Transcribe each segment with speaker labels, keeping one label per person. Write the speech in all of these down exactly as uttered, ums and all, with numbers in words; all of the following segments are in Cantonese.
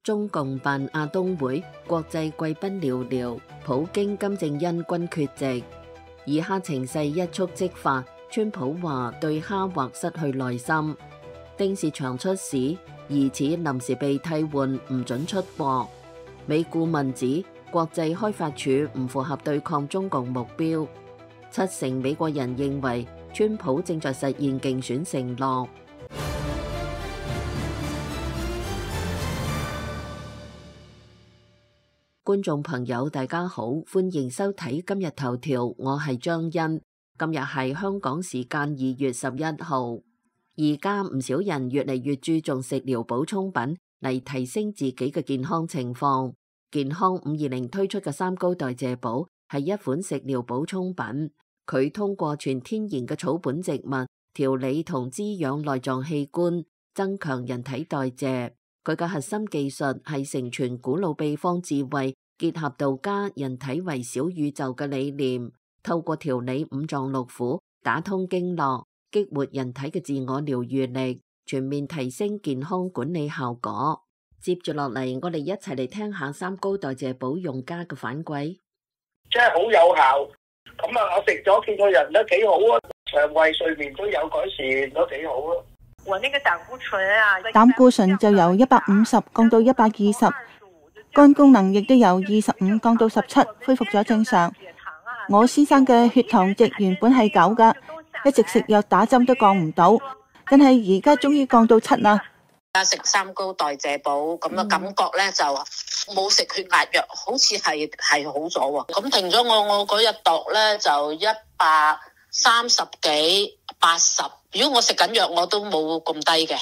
Speaker 1: 中共辦亞冬會，國際貴賓寥寥，普京、金正恩均缺席。以哈情勢一觸即發，川普話對哈或失去耐心。丁薛祥出事，疑似臨時被替換，唔准出國。美顧問指國際開發署唔符合對抗中共目標。七成美國人認為川普正在實現競選承諾。觀眾朋友大家好，歡迎收睇今日頭條，我係張欣。今日係香港時間二月十一號。而家唔少人越嚟越注重食療補充品嚟提升自己嘅健康情況。健康五二零推出嘅三高代謝寶係一款食療補充品，佢通過全天然嘅草本植物調理同滋養內臟器官，增強人體代謝。佢嘅核心技術係承傳古老秘方智慧，結合道家人體為小宇宙嘅理念，透過調理五臟六腑，打通經絡，激活人體嘅自我療癒力，全面提升健康管理效果。接住落嚟，我哋一齊嚟聽下三高代謝寶用家嘅反饋。
Speaker 2: 真係好有效，咁啊，我食咗見個人都幾好啊，腸胃睡眠都有改善，都幾好啊。
Speaker 3: 我那個膽固醇啊，
Speaker 4: 膽固醇就由一百五十降到一百二十，肝功能亦都由二十五降到十七，恢復咗正常。我先生嘅血糖值原本係九噶，一直食藥打針都降唔到，但係而家終於降到七啦。
Speaker 5: 而家食三高代謝寶咁嘅感覺咧，就冇食血壓藥，好似係係好咗喎。咁停咗我我嗰日度咧就一百三十幾八十。如果我食緊藥，我都冇咁低嘅。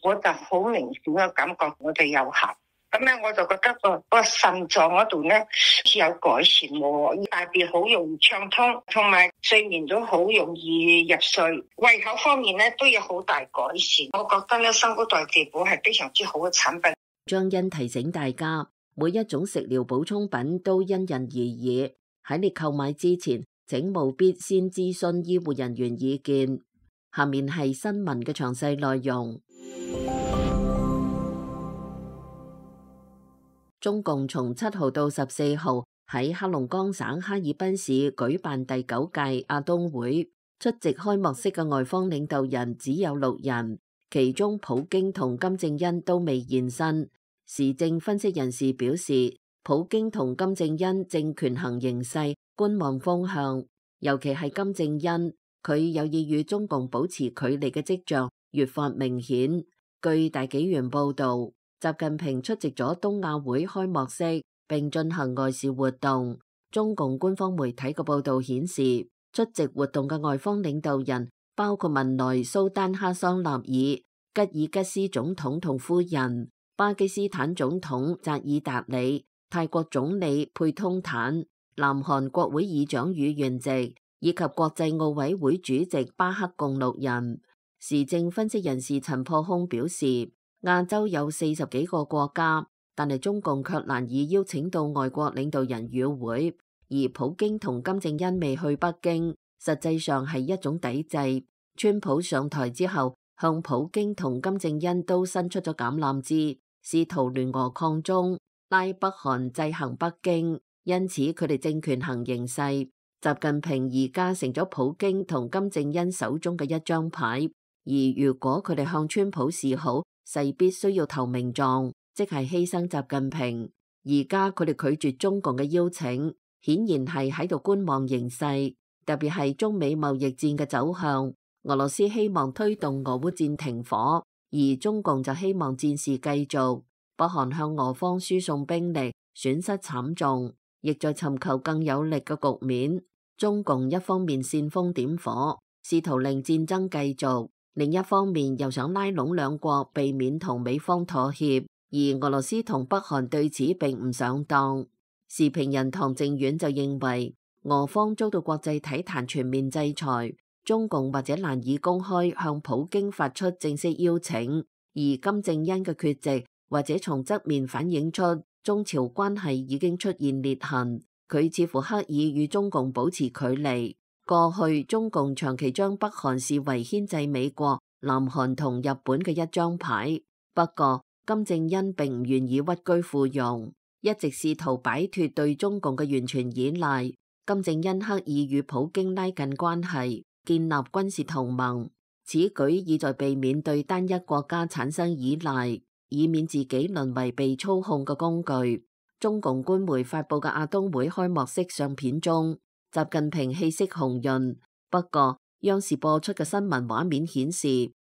Speaker 6: 我就好明顯嘅感覺，我哋有效。咁咧，我就覺得個個腎臟嗰度咧似有改善喎，大便好容易暢通，同埋睡眠都好容易入睡。胃口方面咧都有好大改善。我覺得咧，三高代謝寶係非常之好嘅產品。
Speaker 1: 張欣提醒大家，每一種食療補充品都因人而異，喺你購買之前，請務必先諮詢醫護人員意見。下面係新聞嘅詳細內容。中共從七號到十四號喺黑龍江省哈爾濱市舉辦第九屆亞冬會，出席開幕式嘅外方領導人只有六人，其中普京同金正恩都未現身。時政分析人士表示，普京同金正恩正權衡形勢，觀望風向，尤其係金正恩，佢有意與中共保持距離嘅跡象越發明顯。據大紀元報道，習近平出席咗冬亞會開幕式，並進行外事活動。中共官方媒體嘅報道顯示，出席活動嘅外方領導人包括文萊蘇丹哈桑納爾、吉爾吉斯總統同夫人、巴基斯坦總統扎爾達里、泰國總理佩通坦、南韓國會議長宇元席，以及國際奧委會主席巴克共六人。時政分析人士陳破空表示，亞洲有四十幾個國家，但係中共卻難以邀請到外國領導人與會，而普京同金正恩未去北京，實際上係一種抵制。川普上台之後，向普京同金正恩都伸出咗橄欖枝，試圖聯俄抗中，拉北韓制衡北京，因此佢哋正權衡形勢。習近平而家成咗普京同金正恩手中嘅一張牌，而如果佢哋向川普示好，勢必需要投名狀，即係犧牲習近平。而家佢哋拒絕中共嘅邀請，顯然係喺度觀望形勢，特別係中美貿易戰嘅走向。俄羅斯希望推動俄烏戰停火，而中共就希望戰事繼續。北韓向俄方輸送兵力，損失慘重，亦在尋求更有力嘅局面。中共一方面煽風點火，試圖令戰爭繼續，另一方面又想拉攏兩國，避免同美方妥協。而俄羅斯同北韓對此並唔上當。時評人唐靖遠就認為，俄方遭到國際體壇全面制裁，中共或者難以公開向普京發出正式邀請，而金正恩嘅缺席或者從側面反映出中朝關係已經出現裂痕。佢似乎刻意與中共保持距離。過去中共長期將北韓視為牽制美國、南韓同日本嘅一張牌。不過金正恩並唔願意屈居附庸，一直試圖擺脫對中共嘅完全依賴。金正恩刻意與普京拉近關係，建立軍事同盟，此舉意在避免對單一國家產生依賴，以免自己淪為被操控嘅工具。中共官媒發佈嘅亞冬會開幕式相片中，習近平氣色紅潤，不過央視播出嘅新聞畫面顯示，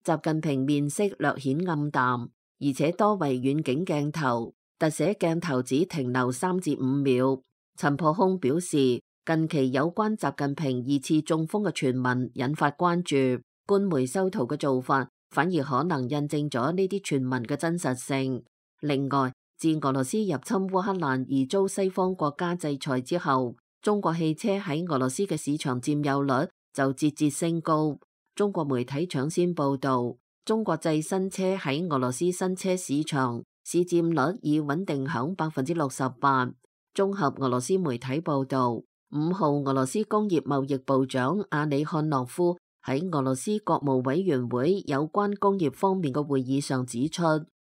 Speaker 1: 習近平面色略顯暗淡，而且多為遠景鏡頭，特寫鏡頭只停留三至五秒。陳破空表示，近期有關習近平二次中風嘅傳聞引發關注，官媒修圖嘅做法反而可能印證咗呢啲傳聞嘅真實性。另外，自俄羅斯入侵烏克蘭而遭西方國家制裁之後，中國汽車喺俄羅斯嘅市場佔有率就節節升高。中國媒體搶先報道，中國製新車喺俄羅斯新車市場市佔率已穩定響百分之六十八。綜合俄羅斯媒體報道，五號俄羅斯工業貿易部長阿里漢諾夫喺俄羅斯國務委員會有關工業方面嘅會議上指出，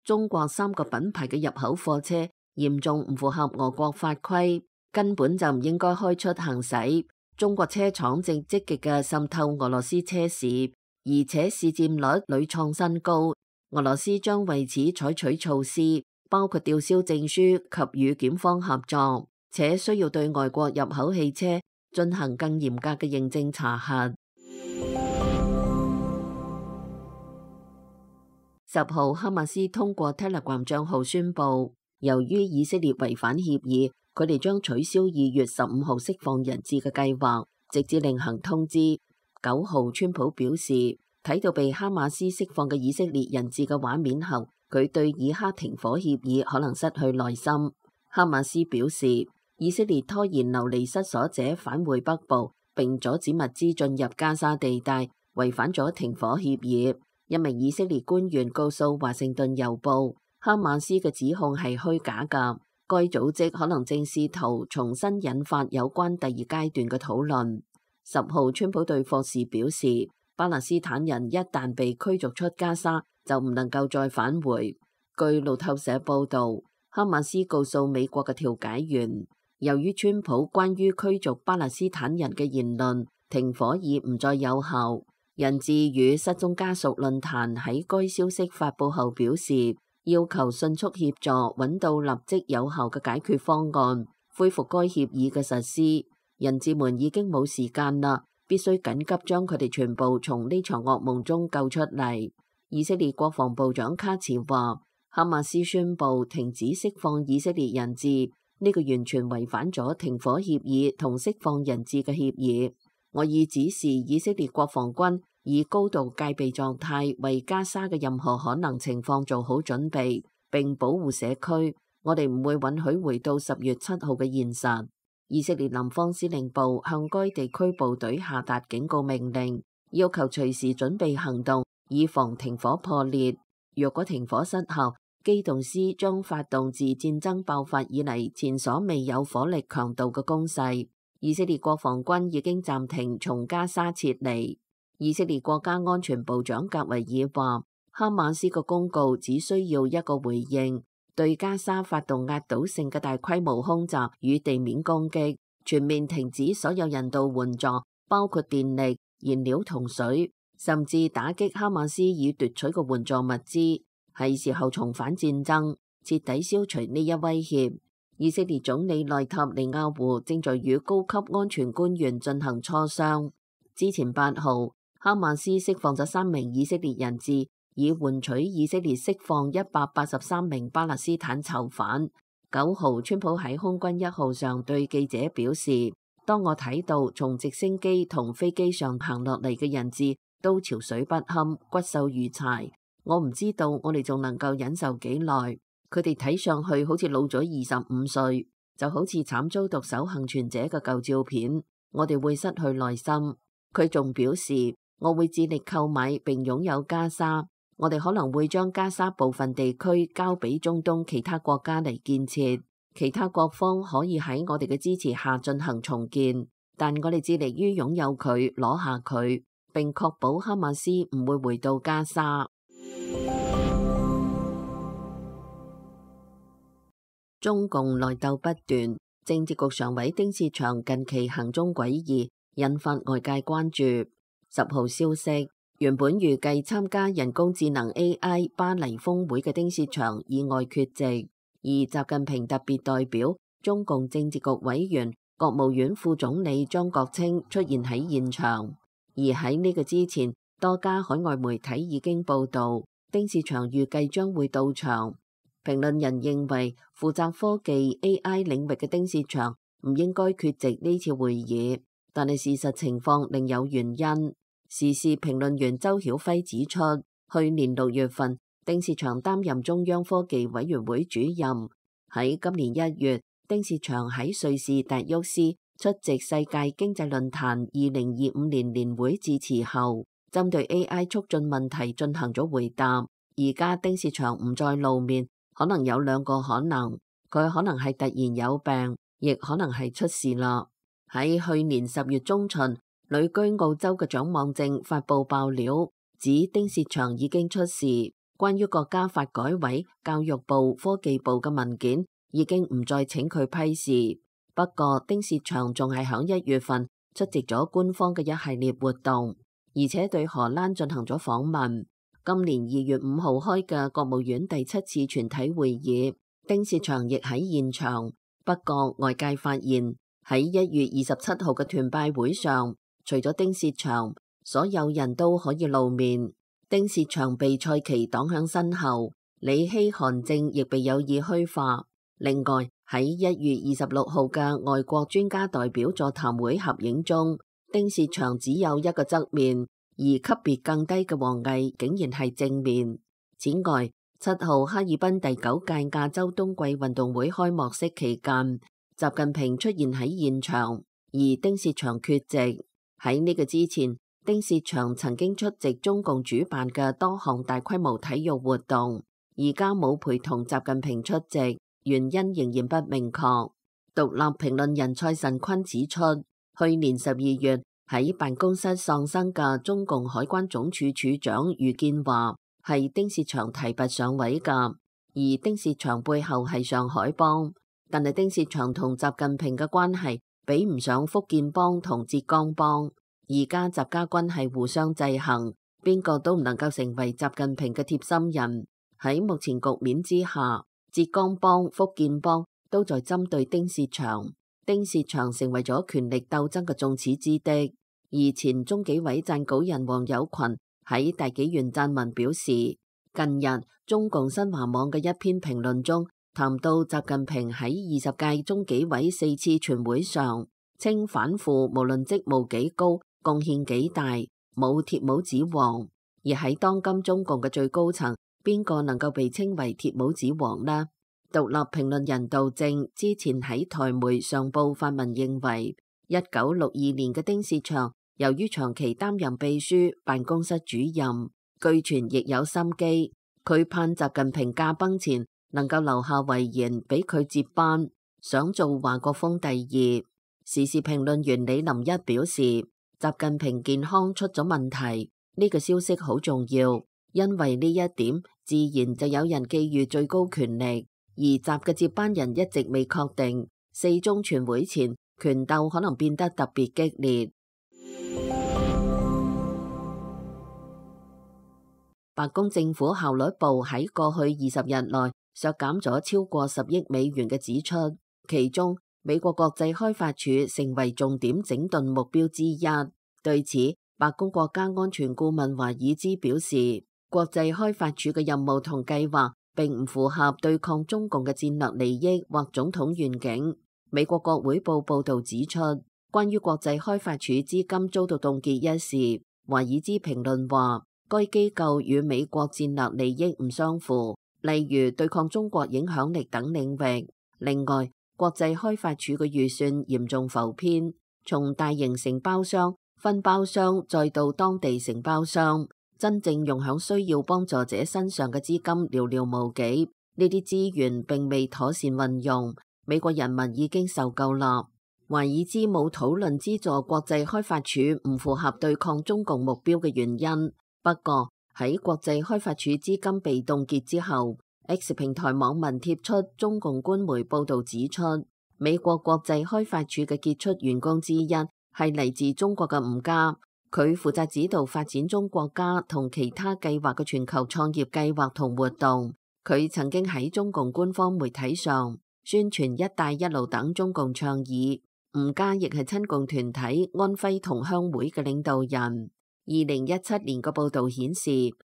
Speaker 1: 中國三個品牌嘅入口貨車嚴重唔符合俄國法規，根本就唔應該開出行駛。中國車廠正積極嘅滲透俄羅斯車市，而且市佔率屢創新高。俄羅斯將為此採取措施，包括吊銷證書及與檢方合作，且需要對外國入口汽車進行更嚴格嘅認證查核。十號，哈馬斯通過 Telegram 賬號宣布，由於以色列違反協議，佢哋將取消二月十五號釋放人質嘅計劃，直至另行通知。九號，川普表示，睇到被哈馬斯釋放嘅以色列人質嘅畫面後，佢對以哈停火協議可能失去耐心。哈馬斯表示，以色列拖延流離失所者返回北部，並阻止物資進入加沙地帶，違反咗停火協議。一名以色列官員告訴華盛頓郵報，哈馬斯嘅指控係虛假㗎。該組織可能正試圖重新引發有關第二階段嘅討論。十號，川普對霍士表示，巴勒斯坦人一旦被驅逐出加沙，就唔能夠再返回。據路透社報導，哈馬斯告訴美國嘅調解員，由於川普關於驅逐巴勒斯坦人嘅言論，停火已唔再有效。人質與失蹤家屬論壇喺該消息發佈後表示，要求迅速協助揾到立即有效嘅解決方案，恢復該協議嘅實施。人質們已經冇時間啦，必須緊急將佢哋全部從呢場噩夢中救出嚟。以色列國防部長卡茨話，哈馬斯宣布停止釋放以色列人質，呢個完全違反咗停火協議同釋放人質嘅協議。我已指示以色列國防軍以高度戒備狀態，為加沙嘅任何可能情況做好準備，並保護社區。我哋唔會允許回到十月七號嘅現實。以色列南方司令部向該地區部隊下達警告命令，要求隨時準備行動，以防停火破裂。若果停火失效，機動師將發動自戰爭爆發以嚟前所未有火力強度嘅攻勢。以色列國防軍已經暫停從加沙撤離。以色列國家安全部長格維爾話，哈馬斯嘅公告只需要一個回應，對加沙發動壓倒性嘅大規模空襲與地面攻擊，全面停止所有人道援助，包括電力、燃料同水，甚至打擊哈馬斯已奪取嘅援助物資。係時候重返戰爭，徹底消除呢一威脅。以色列總理內塔尼亞胡正在與高級安全官員進行磋商。之前八號，哈馬斯釋放咗三名以色列人質，以換取以色列釋放一百八十三名巴勒斯坦囚犯。九號，川普喺空軍一號上對記者表示，當我睇到從直升機同飛機上行落嚟嘅人質都憔悴不堪、骨瘦如柴，我唔知道我哋仲能夠忍受幾耐。佢哋睇上去好似老咗二十五歲，就好似慘遭毒手幸存者嘅舊照片。我哋會失去耐心。佢仲表示，我會致力購買並擁有加沙。我哋可能會將加沙部分地區交俾中東其他國家嚟建設，其他各方可以喺我哋嘅支持下進行重建。但我哋致力於擁有佢，攞下佢，並確保哈馬斯唔會回到加沙。中共內鬥不斷，政治局常委丁薛祥近期行蹤詭異，引發外界關注。十號消息，原本預計參加人工智能 A I 巴黎峰會嘅丁薛祥意外缺席，而習近平特別代表、中共政治局委員、國務院副總理張國清出現喺現場。而喺呢個之前，多家海外媒體已經報道，丁薛祥預計將會到場。評論人認為，負責科技 A I 領域嘅丁薛祥唔應該缺席呢次會議，但係事實情況另有原因。時事評論員周曉輝指出，去年六月份，丁薛祥擔任中央科技委員會主任。喺今年一月，丁薛祥喺瑞士達沃斯出席世界經濟論壇二零二五年年會致辭後，針對 A I 促進問題進行咗回答。而家丁薛祥唔再露面，可能有兩個可能，佢可能係突然有病，亦可能係出事啦。喺去年十月中旬，旅居澳洲嘅蔣望正發布爆料，指丁薛祥已經出事。關於國家發改委、教育部、科技部嘅文件已經唔再請佢批示。不過丁薛祥仲係響一月份出席咗官方嘅一系列活動，而且對荷蘭進行咗訪問。今年二月五號開嘅國務院第七次全體會議，丁薛祥亦喺現場。不過外界發現喺一月二十七號嘅團拜會上，除咗丁薛祥，所有人都可以露面。丁薛祥被蔡奇擋響身後，李希韓正亦被有意虛化。另外喺一月二十六號嘅外國專家代表座談會合影中，丁薛祥只有一個側面，而級別更低嘅王毅竟然係正面。此外，七號哈爾濱第九屆亞洲冬季運動會開幕式期間，習近平出現喺現場，而丁薛祥缺席。喺呢個之前，丁薛祥曾經出席中共主辦嘅多項大規模體育活動，而家冇陪同習近平出席，原因仍然不明確。獨立評論人蔡慎坤指出，去年十二月喺辦公室喪生嘅中共海關總署署長余建華係丁薛祥提拔上位㗎，而丁薛祥背後係上海幫，但係丁薛祥同習近平嘅關係比唔上福建幫同浙江幫，而家習家軍係互相制衡，邊個都唔能夠成為習近平嘅貼心人。喺目前局面之下，浙江幫、福建幫都在針對丁薛祥，丁薛祥成為咗權力鬥爭嘅眾矢之的。而前中紀委撰稿人王友群喺大紀元撰文表示，近日中共新華網嘅一篇評論中談到習近平喺二十屆中紀委四次全會上，稱反腐無論職務幾高，貢獻幾大，冇鐵帽子王。而喺當今中共嘅最高層，邊個能夠被稱為鐵帽子王呢？獨立評論人杜正之前喺台媒上報發文認為，一九六二年嘅丁薛祥由於長期擔任秘書、辦公室主任，據傳亦有心機，佢盼習近平駕崩前能夠留下遺言俾佢接班，想做華國鋒第二。時事評論員李林一表示，習近平健康出咗問題，呢個消息好重要，因為呢一點自然就有人覬覦最高權力，而習嘅接班人一直未確定，四中全會前權鬥可能變得特別激烈。白宮政府效率部喺過去二十日內削減咗超過十億美元嘅支出，其中美國國際開發署成為重點整頓目標之一。對此，白宮國家安全顧問華爾茲表示，國際開發署嘅任務同計劃並唔符合對抗中共嘅戰略利益或總統願景。美國國會報報道指出，關於國際開發署資金遭到凍結一事，華爾茲評論話，該機構與美國戰略利益唔相符，例如對抗中國影響力等領域。另外，國際開發署嘅預算嚴重浮偏，從大型承包商、分包商再到當地承包商，真正用響需要幫助者身上嘅資金寥寥無幾，呢啲資源並未妥善運用，美國人民已經受夠啦。華爾茲冇討論資助國際開發署唔符合對抗中共目標嘅原因。不過喺國際開發署資金被凍結之後， X 平台網民貼出中共官媒報導指出，美國國際開發署嘅傑出員工之一係嚟自中國嘅吳家，佢負責指導發展中國家同其他計劃嘅全球創業計劃同活動。佢曾經喺中共官方媒體上宣傳一帶一路等中共倡議。吳家亦係親共團體安徽同鄉會嘅領導人。二零一七年嘅報導顯示，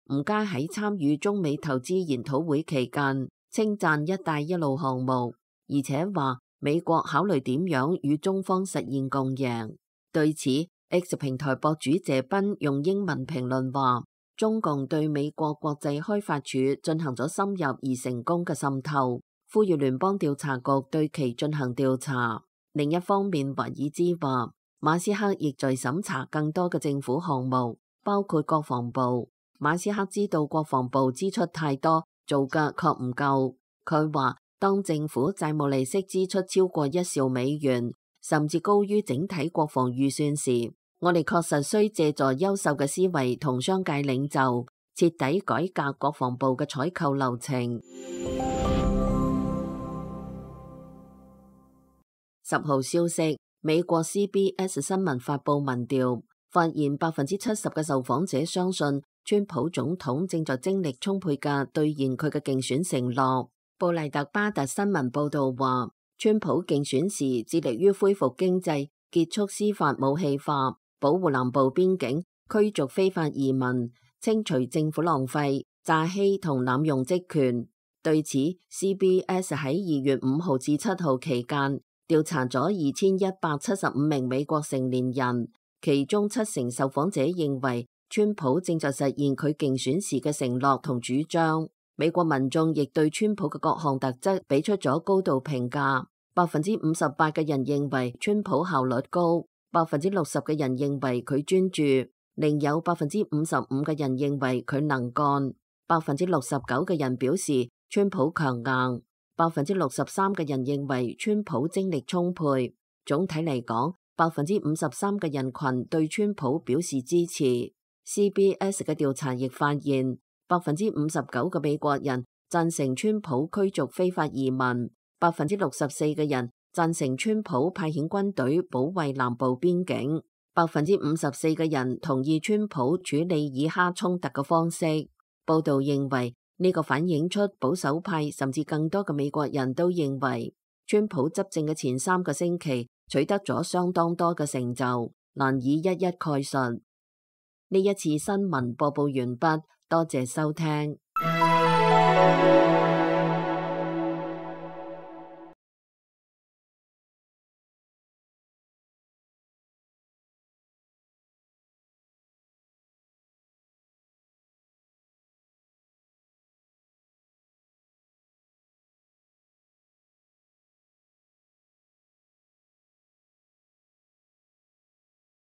Speaker 1: 吳家喺參與中美投資研討會期間，稱讚一帶一路項目，而且話美國考慮點樣與中方實現共贏。對此 ，X 平台博主謝斌用英文評論話，中共對美國國際開發署進行咗深入而成功嘅滲透，呼籲聯邦調查局對其進行調查。另一方面，華爾茲話，馬斯克亦在審查更多嘅政府項目，包括國防部。馬斯克知道國防部支出太多，做嘅確唔夠。佢話，當政府債務利息支出超過一兆美元，甚至高於整體國防預算時，我哋確實需借助優秀嘅思維同商界領袖，徹底改革國防部嘅採購流程。十號消息，美國 C B S 新聞發佈民調，發現百分之七十嘅受訪者相信川普總統正在精力充沛嘅兌現佢嘅競選承諾。布萊特巴特新聞報道話，川普競選時致力於恢復經濟、結束司法武器化、保護南部邊境、驅逐非法移民、清除政府浪費、詐欺同濫用職權。對此 ，C B S 喺二月五號至七號期間調查咗二千一百七十五名美國成年人，其中七成受訪者認為川普正在實現佢競選時嘅承諾同主張。美國民眾亦對川普嘅各項特質俾出咗高度評價，百分之五十八嘅人認為川普效率高，百分之六十嘅人認為佢專注，另有百分之五十五嘅人認為佢能幹，百分之六十九嘅人表示川普強硬，百分之六十三嘅人認為川普精力充沛。總體嚟講，百分之五十三嘅人群對川普表示支持。C B S 嘅調查亦發現，百分之五十九嘅美國人贊成川普驅逐非法移民，百分之六十四嘅人贊成川普派遣軍隊保衛南部邊境，百分之五十四嘅人同意川普處理以哈衝突嘅方式。報道認為，呢個反映出保守派甚至更多嘅美國人都認為，川普執政嘅前三個星期取得咗相當多嘅成就，難以一一概述。呢一次新聞播報完畢，多謝收聽。